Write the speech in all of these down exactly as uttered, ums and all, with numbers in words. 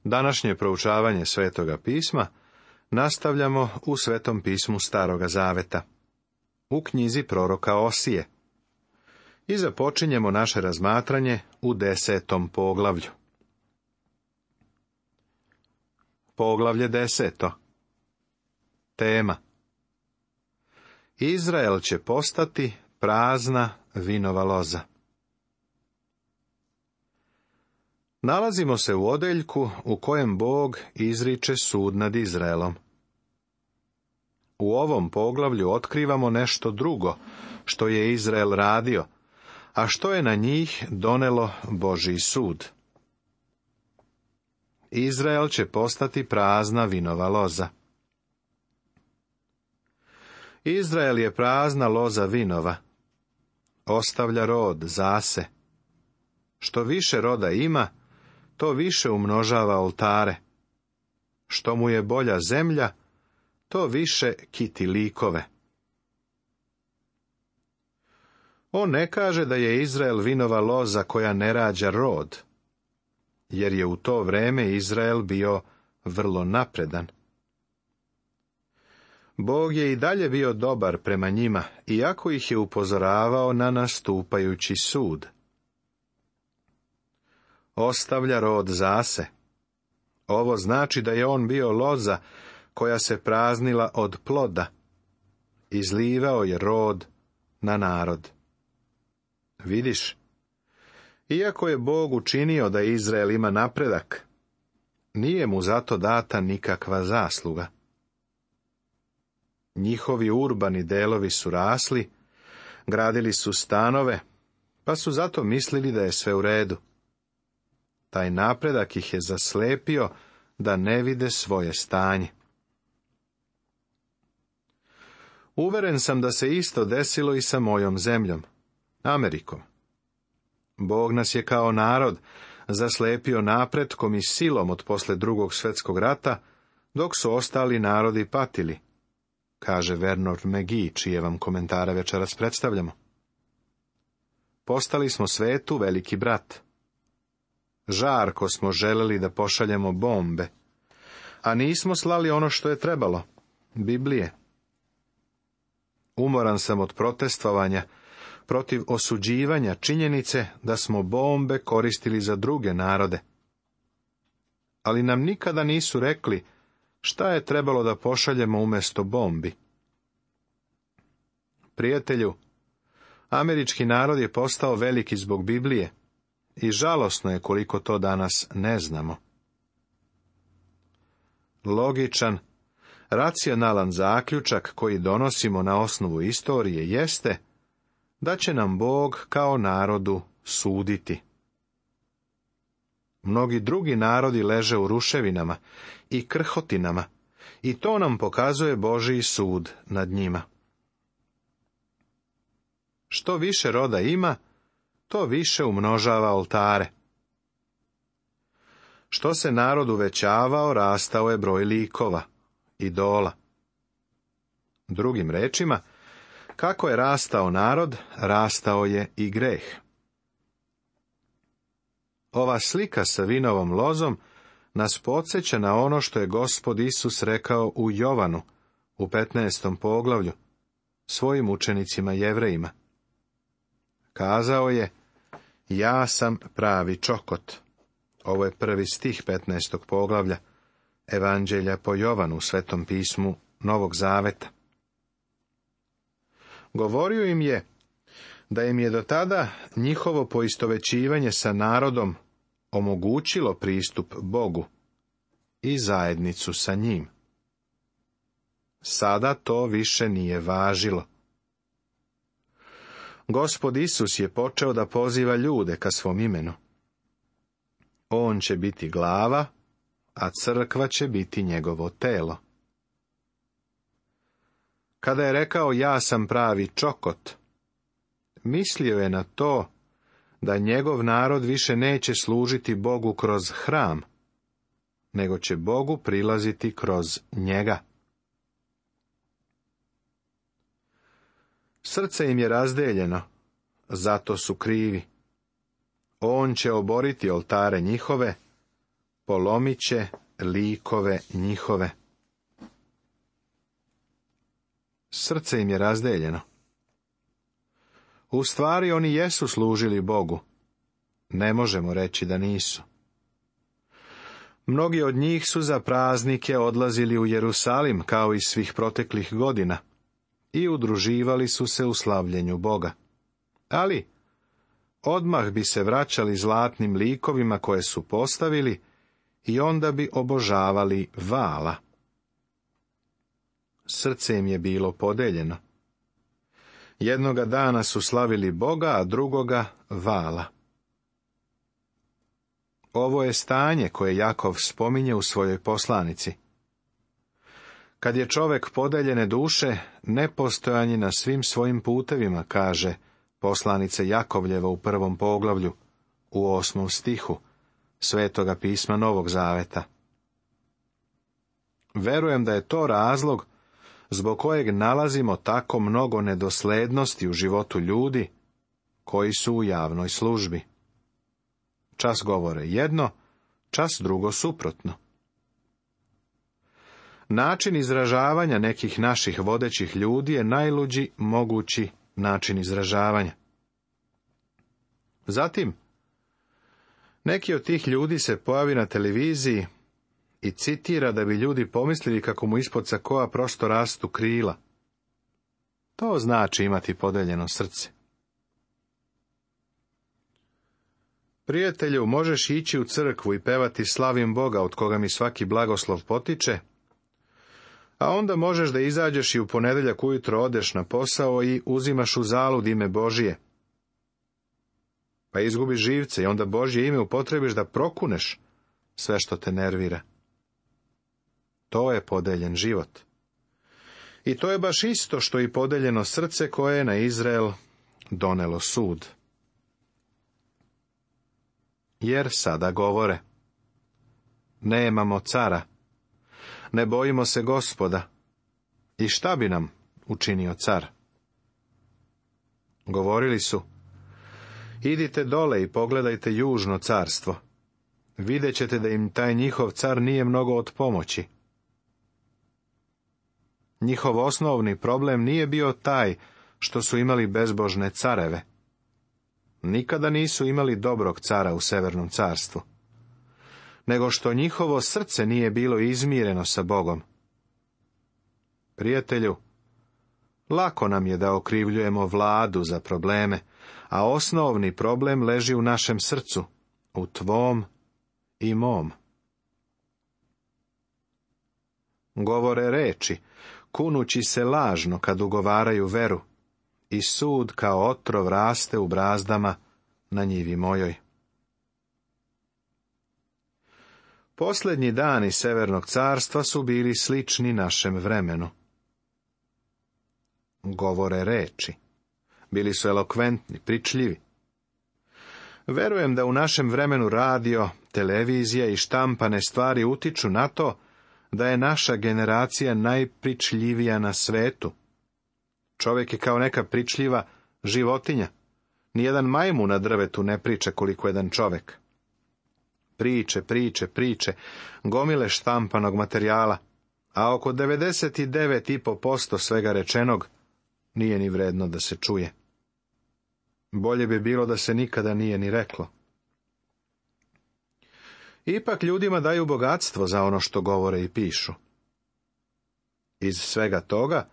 Današnje proučavanje Svetoga pisma nastavljamo u Svetom pismu Staroga zaveta, u knjizi proroka Osije. I započinjemo naše razmatranje u desetom poglavlju. Poglavlje deseto. Tema: Izrael će postati prazna vinova loza. Nalazimo se u odeljku u kojem Bog izriče sud nad Izraelom. U ovom poglavlju otkrivamo nešto drugo što je Izrael radio, a što je na njih donelo Božji sud. Izrael će postati prazna vinova loza. Izrael je prazna loza vinova. Ostavlja rod zase. Što više roda ima, to više umnožava oltare. Što mu je bolja zemlja, to više kiti likove. On ne kaže da je Izrael vinova loza koja ne rađa rod, jer je u to vreme Izrael bio vrlo napredan. Bog je i dalje bio dobar prema njima, iako ih je upozoravao na nastupajući sud. Ostavlja rod zase. Ovo znači da je on bio loza koja se praznila od ploda. Izlivao je rod na narod. Vidiš, iako je Bog učinio da Izrael ima napredak, nije mu zato data nikakva zasluga. Njihovi urbani delovi su rasli, gradili su stanove, pa su zato mislili da je sve u redu. Taj napredak ih je zaslepio da ne vide svoje stanje. Uveren sam da se isto desilo i sa mojom zemljom, Amerikom. Bog nas je kao narod zaslepio napretkom i silom od posle drugog svjetskog rata, dok su ostali narodi patili, kaže Vernon McGee, čije vam komentare večeras predstavljamo. Postali smo svetu veliki brat. Žarko smo želeli da pošaljemo bombe, a nismo slali ono što je trebalo, Biblije. Umoran sam od protestovanja protiv osuđivanja činjenice da smo bombe koristili za druge narode. Ali nam nikada nisu rekli šta je trebalo da pošaljemo umjesto bombi. Prijatelju, američki narod je postao veliki zbog Biblije i žalosno je koliko to danas ne znamo. Logičan, racionalan zaključak koji donosimo na osnovu istorije jeste da će nam Bog kao narodu suditi. Mnogi drugi narodi leže u ruševinama i krhotinama i to nam pokazuje Božji sud nad njima. Što više roda ima, to više umnožava oltare. Što se narod uvećavao, rastao je broj likova, idola. Drugim rečima, kako je rastao narod, rastao je i greh. Ova slika sa vinovom lozom nas podsjeća na ono što je Gospod Isus rekao u Jovanu, u petnaestom poglavlju, svojim učenicima Jevrejima. Kazao je: ja sam pravi čokot. Ovo je prvi stih petnaestog poglavlja Evanđelja po Jovanu u Svetom pismu Novog zaveta. Govorio im je da im je do tada njihovo poistovećivanje sa narodom omogućilo pristup Bogu i zajednicu sa njim. Sada to više nije važilo. Gospod Isus je počeo da poziva ljude ka svom imenu. On će biti glava, a crkva će biti njegovo telo. Kada je rekao ja sam pravi čokot, mislio je na to da njegov narod više neće služiti Bogu kroz hram, nego će Bogu prilaziti kroz njega. Srce im je razdeljeno, zato su krivi. On će oboriti oltare njihove, polomit će likove njihove. Srce im je razdeljeno. U stvari oni jesu služili Bogu. Ne možemo reći da nisu. Mnogi od njih su za praznike odlazili u Jerusalim kao i svih proteklih godina i udruživali su se u slavljenju Boga. Ali odmah bi se vraćali zlatnim likovima koje su postavili i onda bi obožavali Vala. Srce im je bilo podeljeno. Jednoga dana su slavili Boga, a drugoga Vala. Ovo je stanje koje Jakov spominje u svojoj poslanici. Kad je čovek podeljene duše, nepostojanje na svim svojim putevima, kaže poslanica Jakovljeva u prvom poglavlju, u osmom stihu Svetoga pisma Novog Zaveta. Verujem da je to razlog zbog kojeg nalazimo tako mnogo nedoslednosti u životu ljudi koji su u javnoj službi. Čas govore jedno, čas drugo suprotno. Način izražavanja nekih naših vodećih ljudi je najluđi mogući način izražavanja. Zatim, neki od tih ljudi se pojavi na televiziji i citira da bi ljudi pomislili kako mu ispod sakoa prosto rastu krila. To znači imati podeljeno srce. Prijatelju, možeš ići u crkvu i pevati slavim Boga od koga mi svaki blagoslov potiče, a onda možeš da izađeš i u ponedeljak ujutro odeš na posao i uzimaš u zalud ime Božije. Pa izgubiš živce i onda Božje ime upotrebiš da prokuneš sve što te nervira. To je podeljen život. I to je baš isto što i podeljeno srce koje je na Izrael donelo sud. Jer sada govore: nemamo cara, ne bojimo se Gospoda, i šta bi nam učinio car? Govorili su: idite dole i pogledajte južno carstvo, vidjet ćete da im taj njihov car nije mnogo od pomoći. Njihov osnovni problem nije bio taj što su imali bezbožne careve. Nikada nisu imali dobrog cara u Severnom carstvu, nego što njihovo srce nije bilo izmireno sa Bogom. Prijatelju, lako nam je da okrivljujemo vladu za probleme, a osnovni problem leži u našem srcu, u tvom i mom. Govore reči, kunući se lažno kad ugovaraju veru, i sud kao otrov raste u brazdama na njivi mojoj. Posljednji dani Severnog carstva su bili slični našem vremenu. Govore reči. Bili su elokventni, pričljivi. Verujem da u našem vremenu radio, televizija i štampane stvari utiču na to da je naša generacija najpričljivija na svetu. Čovjek je kao neka pričljiva životinja. Nijedan majmun na drvetu ne priča koliko jedan čovjek. Priče, priče, priče, gomile štampanog materijala, a oko devedeset devet i pet posto svega rečenog nije ni vredno da se čuje. Bolje bi bilo da se nikada nije ni reklo. Ipak ljudima daju bogatstvo za ono što govore i pišu. Iz svega toga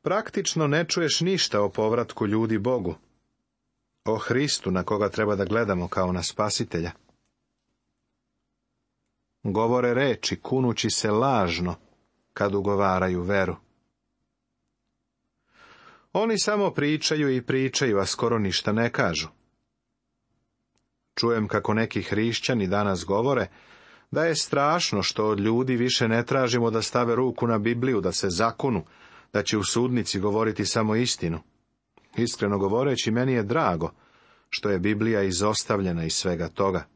praktično ne čuješ ništa o povratku ljudi Bogu, o Hristu na koga treba da gledamo kao na spasitelja. Govore reči kunući se lažno kad ugovaraju veru. Oni samo pričaju i pričaju, a skoro ništa ne kažu. Čujem kako neki hrišćani danas govore da je strašno što od ljudi više ne tražimo da stave ruku na Bibliju, da se zakunu, da će u sudnici govoriti samo istinu. Iskreno govoreći, meni je drago što je Biblija izostavljena iz svega toga.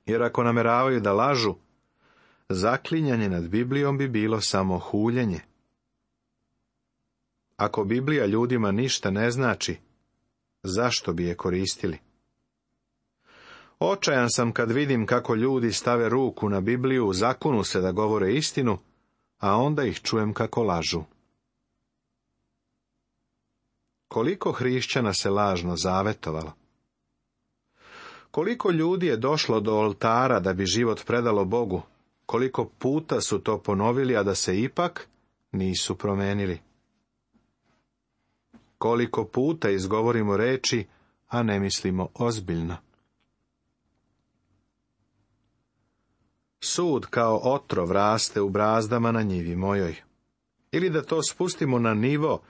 Jer ako nameravaju da lažu, zaklinjanje nad Biblijom bi bilo samo huljenje. Ako Biblija ljudima ništa ne znači, zašto bi je koristili? Očajan sam kad vidim kako ljudi stave ruku na Bibliju, zakunu se da govore istinu, a onda ih čujem kako lažu. Koliko hrišćana se lažno zavetovalo? Koliko ljudi je došlo do oltara da bi život predalo Bogu? Koliko puta su to ponovili, a da se ipak nisu promenili? Koliko puta izgovorimo reči, a ne mislimo ozbiljno? Sud kao otrov raste u brazdama na njivi mojoj. Ili da to spustimo na nivo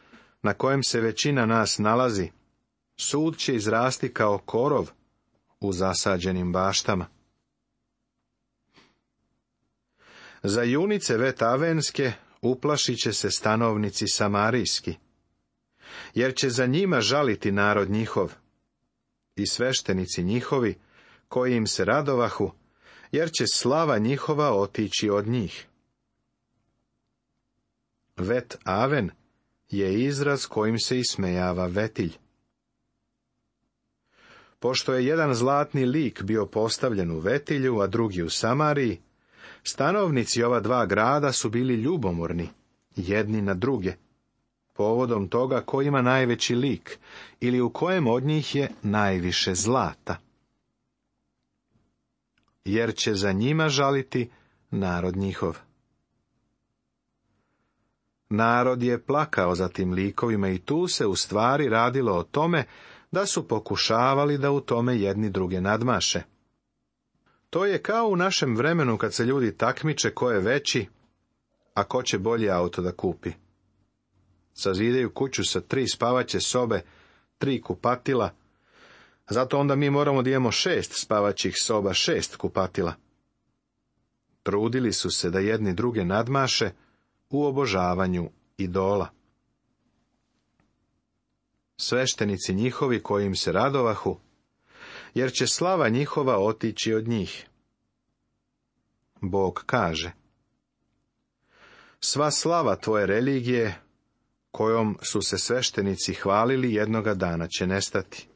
na kojem se većina nas nalazi, sud će izrasti kao korov u zasađenim baštama. Za junice vetavenske uplašit će se stanovnici samarijski, jer će za njima žaliti narod njihov i sveštenici njihovi koji im se radovahu, jer će slava njihova otići od njih. Vet Aven je izraz kojim se ismejava vetilj. Pošto je jedan zlatni lik bio postavljen u Vetilju, a drugi u Samariji, stanovnici ova dva grada su bili ljubomorni, jedni na druge, povodom toga ko ima najveći lik ili u kojem od njih je najviše zlata. Jer će za njima žaliti narod njihov. Narod je plakao za tim likovima i tu se u stvari radilo o tome da su pokušavali da u tome jedni druge nadmaše. To je kao u našem vremenu kad se ljudi takmiče ko je veći, a ko će bolji auto da kupi. Sazidaju kuću sa tri spavaće sobe, tri kupatila, zato onda mi moramo da imamo šest spavaćih soba, šest kupatila. Trudili su se da jedni druge nadmaše u obožavanju idola. Sveštenici njihovi koji im se radovahu, jer će slava njihova otići od njih. Bog kaže: sva slava tvoje religije, kojom su se sveštenici hvalili, jednoga dana će nestati.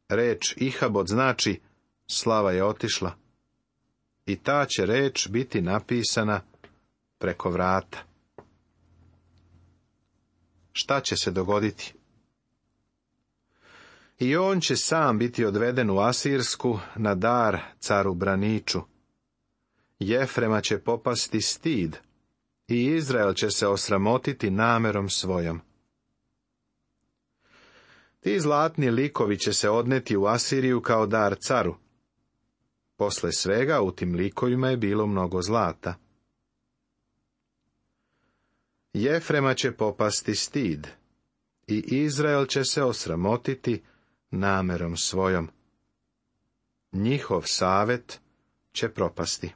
Reč Ihabod znači slava je otišla, i ta će reč biti napisana preko vrata. Šta će se dogoditi? I on će sam biti odveden u Asirsku na dar caru Braniču. Jefrema će popasti stid i Izrael će se osramotiti namerom svojom. Ti zlatni likovi će se odneti u Asiriju kao dar caru. Posle svega u tim likovima je bilo mnogo zlata. Jefrema će popasti stid i Izrael će se osramotiti namerom svojom. Njihov savet će propasti.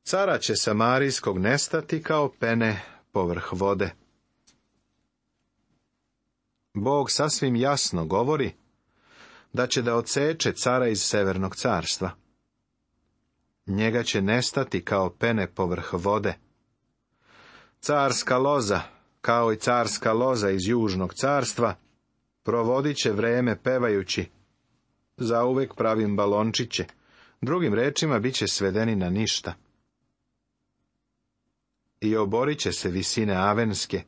Cara će samarijskog nestati kao pene povrh vode. Bog sasvim jasno govori da će da odseče cara iz severnog carstva. Njega će nestati kao pene povrh vode. Carska loza, kao i carska loza iz južnog carstva, provodit će vreme pevajući: zauvek pravim balončiće, drugim rečima bit će svedeni na ništa. I oborit će se visine avenske,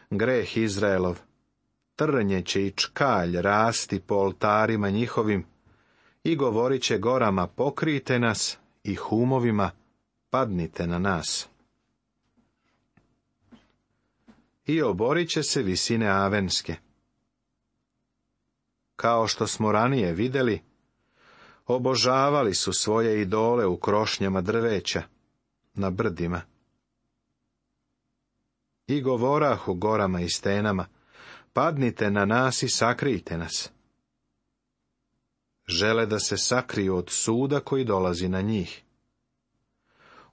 greh Izraelov, trnje će i čkalj rasti po oltarima njihovim, i govorit će gorama: pokrijte nas, i humovima: padnite na nas. I oborit će se visine avenske. Kao što smo ranije vidjeli, obožavali su svoje idole u krošnjama drveća, na brdima. I govorahu gorama i stenama: padnite na nas i sakrijte nas. Žele da se sakriju od suda koji dolazi na njih.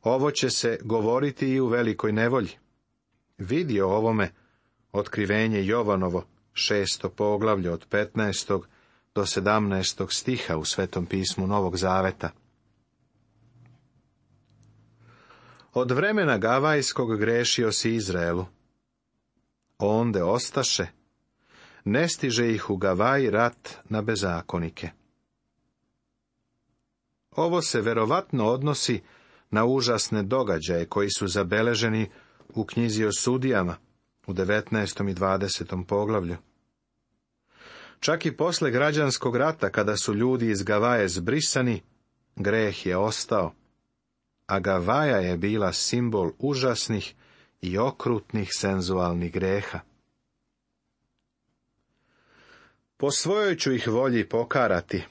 Ovo će se govoriti i u velikoj nevolji. Vidi o ovome otkrivenje Jovanovo, šesto poglavlje od petnaestog do sedamnaestog stiha u Svetom pismu Novog Zaveta. Od vremena Gavajskog grešio si Izraelu. Onde ostaše, ne stiže ih u Gavaji rat na bezakonike. Ovo se verovatno odnosi na užasne događaje koji su zabeleženi u knjizi o sudijama u devetnaestom i dvadesetom poglavlju. Čak i posle građanskog rata, kada su ljudi iz Gavaje zbrisani, greh je ostao, a Gavaja je bila simbol užasnih i okrutnih senzualnih greha. Po svojoj ću ih volji pokarati,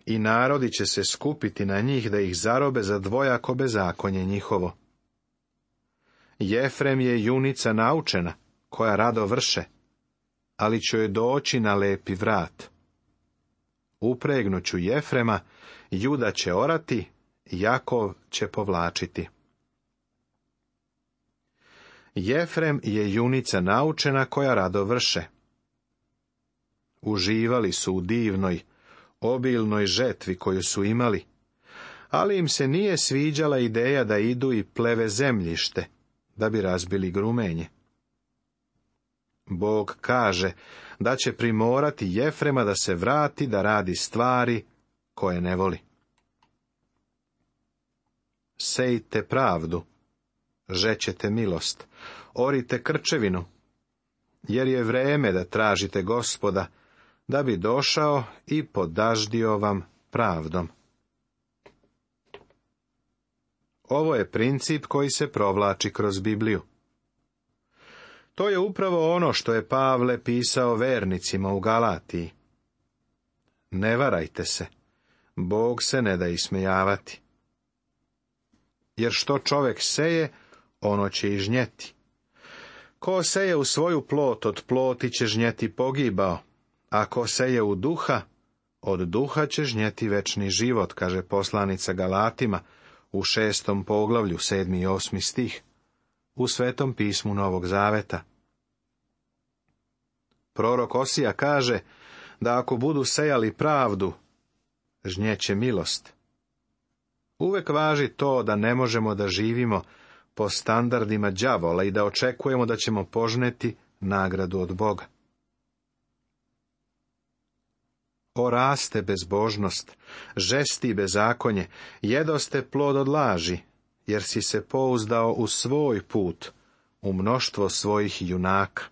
i narodi će se skupiti na njih da ih zarobe za dvojako bezakonje njihovo. Jefrem je junica naučena, koja rado vrše, ali će joj doći na lepi vrat. Upregnuću Jefrema, Juda će orati, Jakov će povlačiti. Jefrem je junica naučena koja rado vrše. Uživali su u divnoj, obilnoj žetvi koju su imali, ali im se nije sviđala ideja da idu i pleve zemljište, da bi razbili grumenje. Bog kaže da će primorati Jefrema da se vrati da radi stvari koje ne voli. Sejte pravdu, žećete milost, orite krčevinu, jer je vreme da tražite Gospoda, da bi došao i podaždio vam pravdom. Ovo je princip koji se provlači kroz Bibliju. To je upravo ono što je Pavle pisao vernicima u Galatiji. Ne varajte se, Bog se ne da ismejavati. Jer što čovjek seje, ono će i žnjeti. Ko seje u svoju plot, od ploti će žnjeti pogibao, a ko seje u duha, od duha će žnjeti večni život, kaže poslanica Galatima u šestom poglavlju, sedmi i osmi stih, u Svetom pismu Novog Zaveta. Prorok Osija kaže da ako budu sejali pravdu, žnjeće milost. Uvek važi to da ne možemo da živimo po standardima đavola i da očekujemo da ćemo požneti nagradu od Boga. Oraste bezbožnost, žesti bezakonje, jedoste plod od laži, jer si se pouzdao u svoj put, u mnoštvo svojih junaka.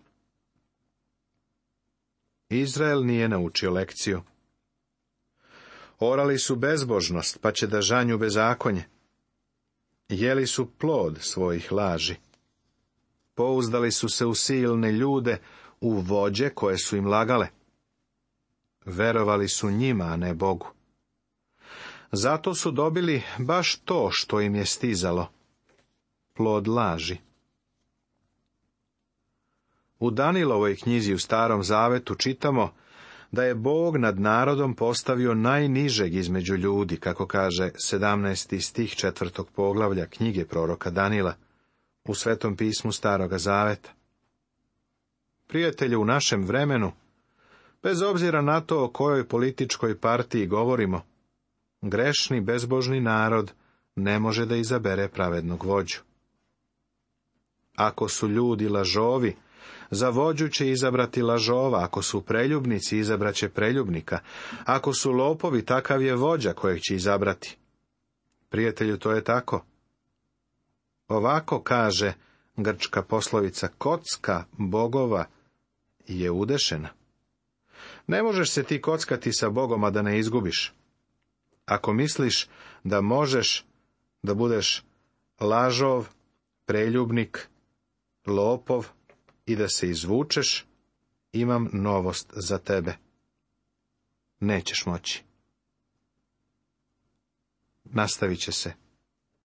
Izrael nije naučio lekciju. Orali su bezbožnost, pa će da žanju bezakonje. Jeli su plod svojih laži. Pouzdali su se u silne ljude, u vođe koje su im lagale. Verovali su njima, a ne Bogu. Zato su dobili baš to što im je stizalo. Plod laži. U Danilovoj knjizi u Starom Zavetu čitamo da je Bog nad narodom postavio najnižeg između ljudi, kako kaže sedamnaesti stih četvrtog poglavlja knjige proroka Danila u Svetom pismu Staroga Zaveta. Prijatelju, u našem vremenu, bez obzira na to o kojoj političkoj partiji govorimo, grešni, bezbožni narod ne može da izabere pravednog vođu. Ako su ljudi lažovi, za vođu će izabrati lažova, ako su preljubnici, izabraće preljubnika, ako su lopovi, takav je vođa kojeg će izabrati. Prijatelju, to je tako. Ovako kaže grčka poslovica, kocka bogova je udešena. Ne možeš se ti kockati sa Bogom, a da ne izgubiš. Ako misliš da možeš da budeš lažov, preljubnik, lopov i da se izvučeš, imam novost za tebe. Nećeš moći. Nastavit će se